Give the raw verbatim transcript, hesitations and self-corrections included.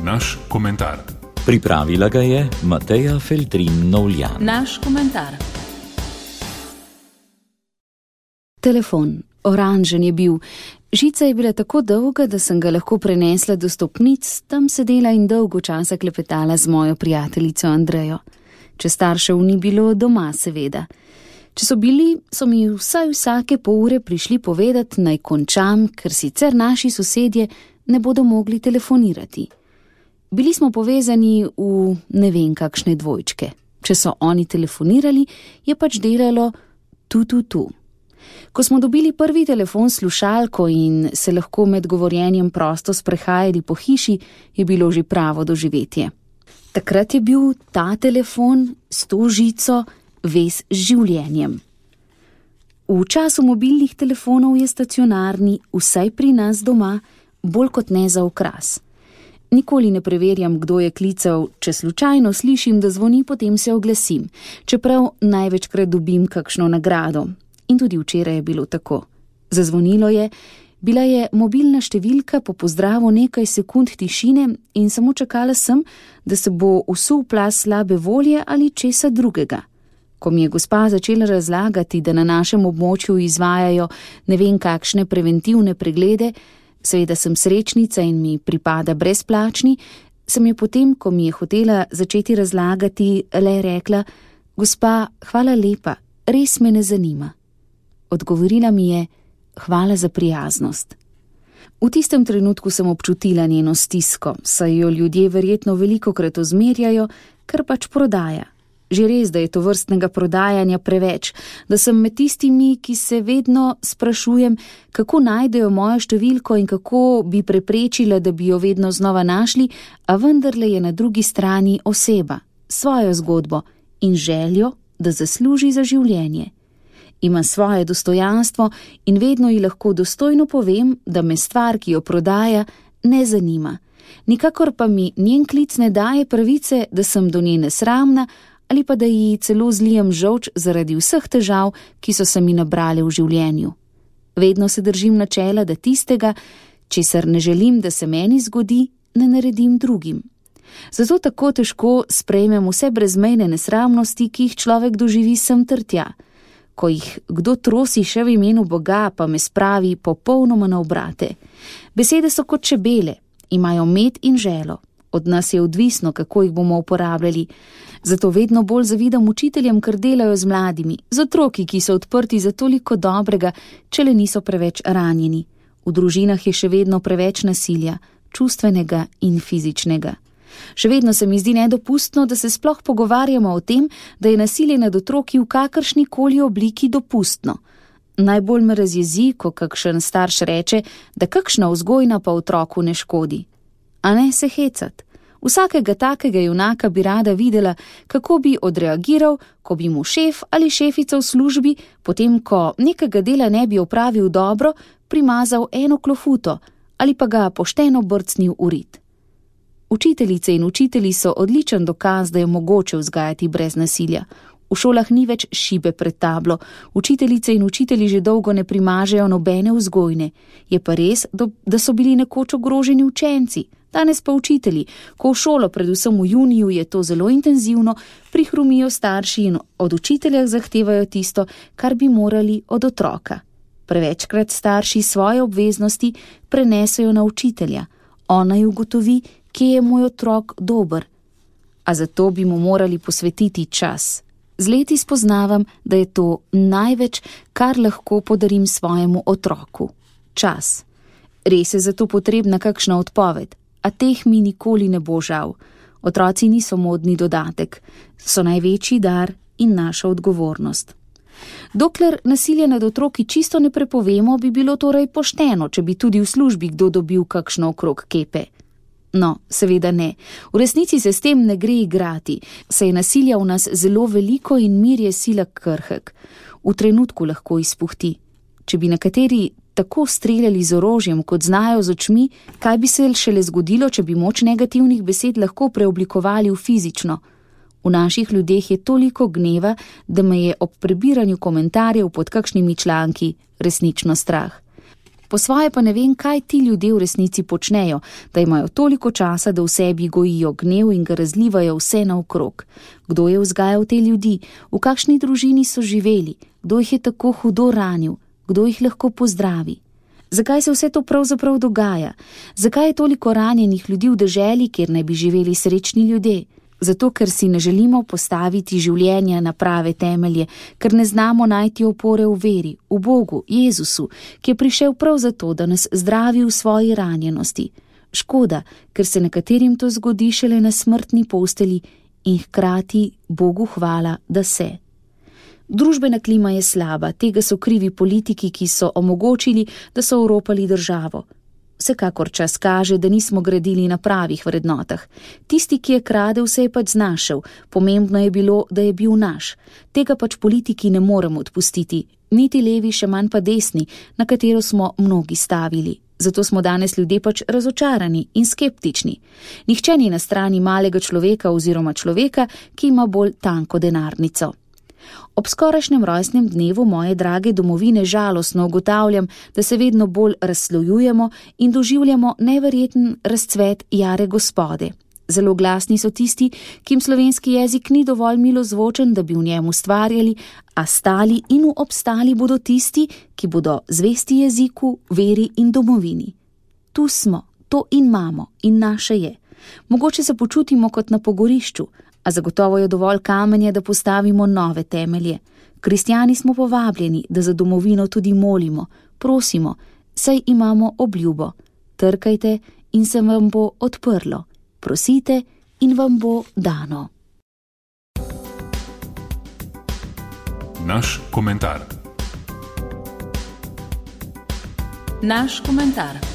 Naš komentar. Pripravila ga je Mateja Feltrin Novljan. Naš komentar. Telefon. Oranžen je bil. Žica je bila tako dolga, da sem ga lahko prenesla do stopnic, tam sedela in dolgo časa klepetala z mojo prijateljico Andrejo. Če staršev ni bilo, doma seveda. Če so bili, so mi vsaj vsake pol ure prišli povedati, naj končam, ker sicer naši sosedje ne bodo mogli telefonirati. Bili smo povezani v ne vem kakšne dvojčke. Če so oni telefonirali, je pač delalo tu, tu, tu. Ko smo dobili prvi telefon s slušalko in se lahko med govorjenjem prosto sprehajali po hiši, je bilo že pravo doživetje. Takrat je bil ta telefon s to žico vez z življenjem. V času mobilnih telefonov je stacionarni, vsaj pri nas doma, bolj kot ne za okras. Nikoli ne preverjam, kdo je klical, če slučajno slišim, da zvoni, potem se oglasim, čeprav največkrat dobim kakšno nagrado. In tudi včeraj je bilo tako. Zazvonilo je, bila je mobilna številka, po pozdravu nekaj sekund tišine in samo čakala sem, da se bo usul plaz slabe volje ali česa drugega. Ko mi je gospa začela razlagati, da na našem območju izvajajo ne vem kakšne preventivne preglede, seveda sem srečnica in mi pripada brezplačni, sem je potem, ko mi je hotela začeti razlagati, le rekla: "Gospa, hvala lepa, res me ne zanima." Odgovorila mi je: "Hvala za prijaznost." V tistem trenutku sem občutila njeno stisko, saj jo ljudje verjetno velikokrat ozmerjajo, ker pač prodaja. Že res, da je to vrstnega prodajanja preveč, da sem med tistimi, ki se vedno sprašujem, kako najdejo mojo številko in kako bi preprečila, da bi jo vedno znova našli, a vendarle je na drugi strani oseba, svojo zgodbo in željo, da zasluži za življenje. Ima svoje dostojanstvo in vedno ji lahko dostojno povem, da me stvar, ki jo prodaja, ne zanima. Nikakor pa mi njen klic ne daje pravice, da sem do nje nesramna ali pa da ji celo zlijem žolč zaradi vseh težav, ki so se mi nabrale v življenju. Vedno se držim načela, da tistega, česar ne želim, da se meni zgodi, ne naredim drugim. Zato tako težko sprejmem vse brezmejne nesramnosti, ki jih človek doživi sem ter tja. Ko jih kdo trosi še v imenu Boga, pa me spravi popolnoma na obrate. Besede so kot čebele, imajo med in želo. Od nas je odvisno, kako jih bomo uporabljali. Zato vedno bolj zavidam učiteljem, ker delajo z mladimi, z otroki, ki so odprti za toliko dobrega, če le niso preveč ranjeni. V družinah je še vedno preveč nasilja, čustvenega in fizičnega. Še vedno se mi zdi nedopustno, da se sploh pogovarjamo o tem, da je nasilje nad otroki v kakršnikoli obliki dopustno. Najbolj me razjezi, ko kakšen starš reče, da kakšna vzgojna pa otroku ne škodi. A ne se hecat. Vsakega takega junaka bi rada videla, kako bi odreagiral, ko bi mu šef ali šefica v službi, potem ko nekega dela ne bi opravil dobro, primazal eno klofuto ali pa ga pošteno brcnil v rit. Učiteljice in učitelji so odličen dokaz, da je mogoče vzgajati brez nasilja. V šolah ni več šibe pred tablo, učiteljice in učitelji že dolgo ne primažejo nobene vzgojne. Je pa res, da so bili nekoč ogroženi učenci, danes pa učitelji. Ko v šolo, predvsem v juniju, je to zelo intenzivno, prihrumijo starši in od učitelja zahtevajo tisto, kar bi morali od otroka. Prevečkrat starši svoje obveznosti prenesejo na učitelja. Ona ji ugotovi, kje je moj otrok dober. A zato bi mu morali posvetiti čas. Z leti spoznavam, da je to največ, kar lahko podarim svojemu otroku. Čas. Res je zato potrebna kakšna odpoved, a teh mi nikoli ne bo žal. Otroci niso modni dodatek, so največji dar in naša odgovornost. Dokler nasilje nad otroki čisto ne prepovemo, bi bilo torej pošteno, če bi tudi v službi kdo dobil kakšno okrog kepe. No, seveda ne. V resnici se s tem ne gre igrati, saj je nasilja v nas zelo veliko in mir je sila krhek. V trenutku lahko izpuhti. Če bi nekateri tako streljali z orožjem, kot znajo z očmi, kaj bi se šele zgodilo, če bi moč negativnih besed lahko preoblikovali v fizično. V naših ljudeh je toliko gneva, da me je ob prebiranju komentarjev pod kakšnimi članki resnično strah. Po svoje pa ne vem, kaj ti ljudje v resnici počnejo, da imajo toliko časa, da v sebi gojijo gnev in ga razlivajo vse naokrog. Kdo je vzgajal te ljudi, v kakšni družini so živeli, kdo jih je tako hudo ranil, kdo jih lahko pozdravi. Zakaj se vse to pravzaprav dogaja? Zakaj je toliko ranjenih ljudi v deželi, kjer naj bi živeli srečni ljudje? Zato, ker si ne želimo postaviti življenja na prave temelje, ker ne znamo najti opore v veri, v Bogu, Jezusu, ki je prišel prav zato, da nas zdravi v svoji ranjenosti. Škoda, ker se nekaterim to zgodi šele na smrtni posteli in hkrati Bogu hvala, da se. Družbena klima je slaba, tega so krivi politiki, ki so omogočili, da so oropali državo. Vsekakor čas kaže, da nismo gradili na pravih vrednotah. Tisti, ki je kradel, se je pač znašel, pomembno je bilo, da je bil naš. Tega pač politiki ne moremo odpustiti, niti levi, še manj pa desni, na katero smo mnogi stavili. Zato smo danes ljudje pač razočarani in skeptični. Nihče ni na strani malega človeka oziroma človeka, ki ima bolj tanko denarnico. Ob skorajšnjem rojstnem dnevu moje drage domovine žalostno ugotavljam, da se vedno bolj razslojujemo in doživljamo neverjeten razcvet jare Gospode. Zelo glasni so tisti, ki jim slovenski jezik ni dovolj milozvočen, da bi v njem ustvarjali, a stali in obstali bodo tisti, ki bodo zvesti jeziku, veri in domovini. Tu smo, to in imamo in naše je. Mogoče se počutimo kot na pogorišču, a zagotovo je dovolj kamenja, da postavimo nove temelje. Kristjani smo povabljeni, da za domovino tudi molimo, prosimo, saj imamo obljubo. Trkajte in se vam bo odprlo. Prosite in vam bo dano. Naš komentar. Naš komentar.